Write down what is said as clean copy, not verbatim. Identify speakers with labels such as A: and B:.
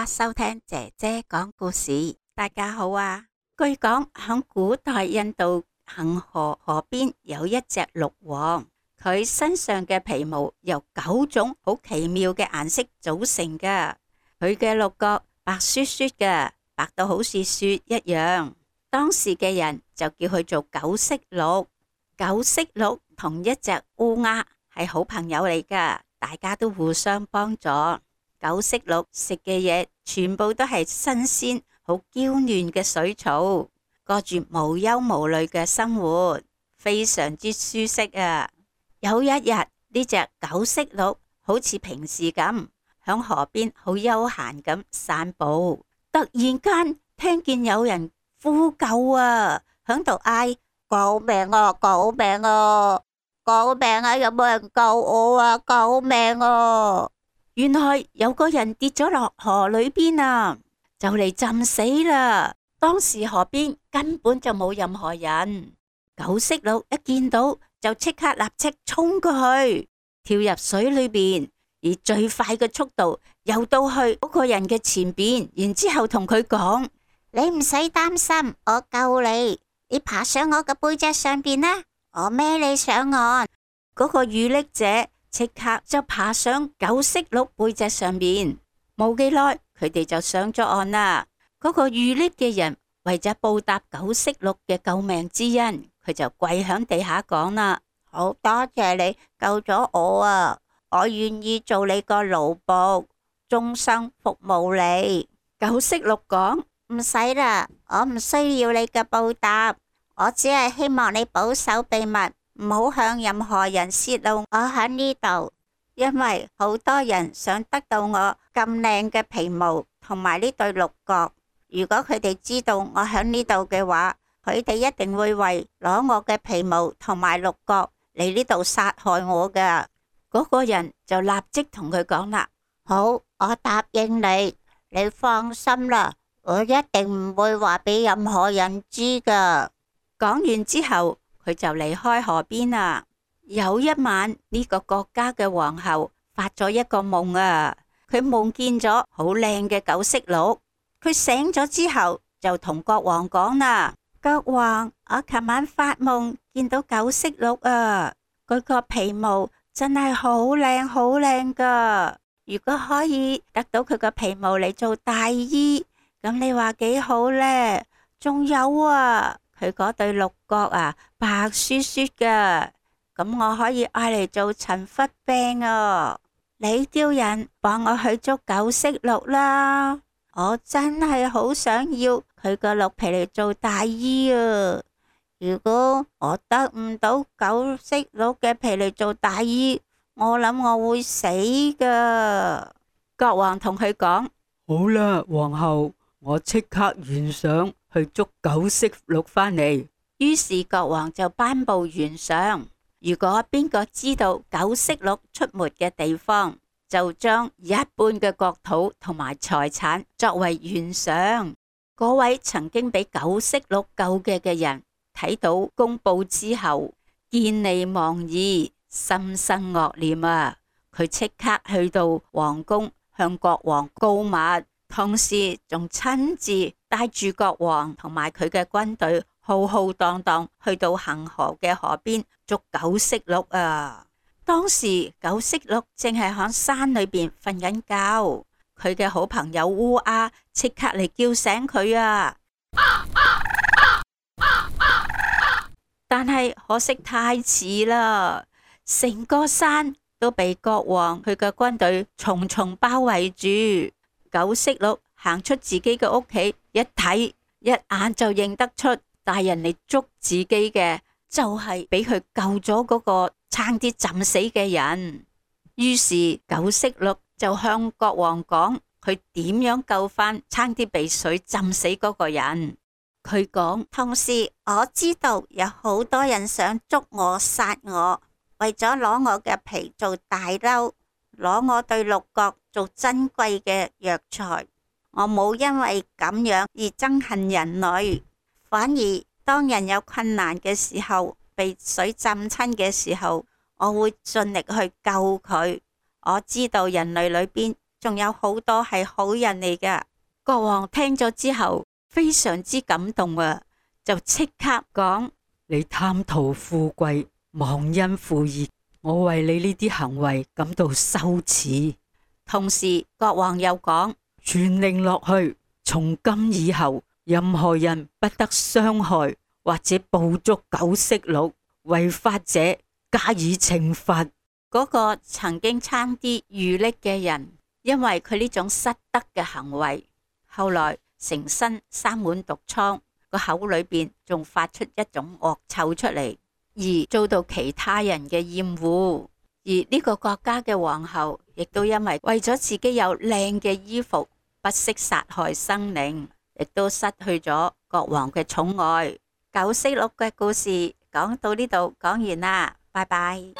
A: 家收聽姐姐講故事。大家好啊！據講響古代印度恒河河邊有一隻鹿王，佢身上嘅皮毛由9種好奇妙嘅顏色組成噶。佢嘅鹿角白雪雪嘅，白到好似雪一樣。當時嘅人就叫佢做九色鹿。九色鹿同一隻烏鴉係好朋友嚟噶，大家都互相幫助。九色鹿食嘅嘢全部都係新鮮、好嬌嫩嘅水草，過住無憂無慮嘅生活，非常之舒適啊！有一日，呢隻九色鹿好似平時咁響河邊好悠閒咁散步，突然間聽見有人呼救啊，響度嗌：救命啊！救命啊！救命啊！有冇人救我啊？救命啊！原來有個人跌咗落河裏邊啊，就嚟浸死啦。當時河邊根本就冇任何人。九色鹿一見到就即刻立即衝過去，跳入水裏邊，以最快嘅速度游到去嗰個人嘅前邊，然之後同佢講：你唔使擔心，我救你，你爬上我嘅背脊上邊啦，我孭你上岸。嗰個遇溺者即刻就爬上九色鹿背脊上面，冇幾耐佢哋就上咗岸啦。嗰個遇溺嘅人為咗報答九色鹿嘅救命之恩，佢就跪響地下講啦：好多謝你救咗我啊！我願意做你個奴僕，終生服務你。九色鹿講：唔使啦，我唔需要你嘅報答，我只係希望你保守秘密，唔好向任何人泄露我喺呢度，因為好多人想得到我咁靚嘅皮毛同埋呢對鹿角。如果佢哋知道我喺呢度嘅話，佢哋一定會為攞我嘅皮毛同埋鹿角嚟呢度殺害我噶。嗰個人就立即同佢講啦：好，我答應你，你放心啦，我一定唔會話俾任何人知噶。講完之後，佢就離開河邊啦。有一晚，呢個國家嘅皇后發咗一個夢啊，佢夢見咗好靚嘅九色鹿。佢醒咗之後就同國王講啦：國王，我琴晚發夢見到九色鹿啊，佢個皮毛真係好靚好靚噶。如果可以得到佢個皮毛嚟做大衣，咁你話幾好呢？仲有啊，佢嗰對鹿角啊，白雪雪噶，咁我可以愛嚟做陳忽柄啊！你叫人幫我去捉九色鹿啦，我真係好想要佢個鹿皮嚟做大衣啊！如果我得唔到九色鹿嘅皮嚟做大衣，我諗我會死噶。國王同佢講：
B: 好啦，皇后，我即刻懸賞去捉九色鹿返嚟。
A: 於是國王就頒布懸賞，如果邊個知道九色鹿出沒嘅地方，就將一半嘅國土同埋財產作為懸賞。嗰位曾經俾九色鹿救嘅人睇到公布之後，見利忘義，心生惡念啊！佢即刻去到皇宮向國王告密，同時仲親自帶住國王同埋佢嘅軍隊浩浩蕩蕩去到恒河嘅河邊捉九色鹿啊！當時九色鹿正係響山裏邊瞓緊覺，佢嘅好朋友烏鴉即刻嚟叫醒佢啊！但係可惜太遲啦，成個山都被國王佢嘅軍隊重重包圍住。九色鹿行出自己嘅屋企，一睇一眼就認得出帶人嚟捉自己嘅就係俾佢救咗嗰個差啲浸死嘅人。於是九色鹿就向國王講佢點樣救翻差啲被水浸死嗰個人。佢講：同時我知道有好多人想捉我殺我，為咗攞我嘅皮做大褸，攞我對鹿角做珍貴嘅藥材。我冇因為咁樣而憎恨人類，反而當人有困難嘅時候，被水浸親嘅時候，我會盡力去救佢。我知道人類裏邊仲有好多係好人嚟噶。國王聽咗之後非常之感動啊，就即刻講：
B: 你貪圖富貴，忘恩負義，我為你呢啲行為感到羞恥。
A: 同時國王又講：
B: 傳令落去，從今以後，任何人不得傷害或者捕捉九色鹿，違法者加以懲罰。
A: 嗰個曾經差啲遇溺嘅人，因為佢呢種失德嘅行為，後來成身生滿毒瘡，個口裏邊仲發出一種惡臭出嚟，而遭到其他人嘅厭惡。而呢個國家嘅皇后亦都因為咗自己有靚嘅衣服，不惜殺害生靈，亦都失去咗國王嘅寵愛。九色鹿嘅故事講到呢度講完啦，拜拜。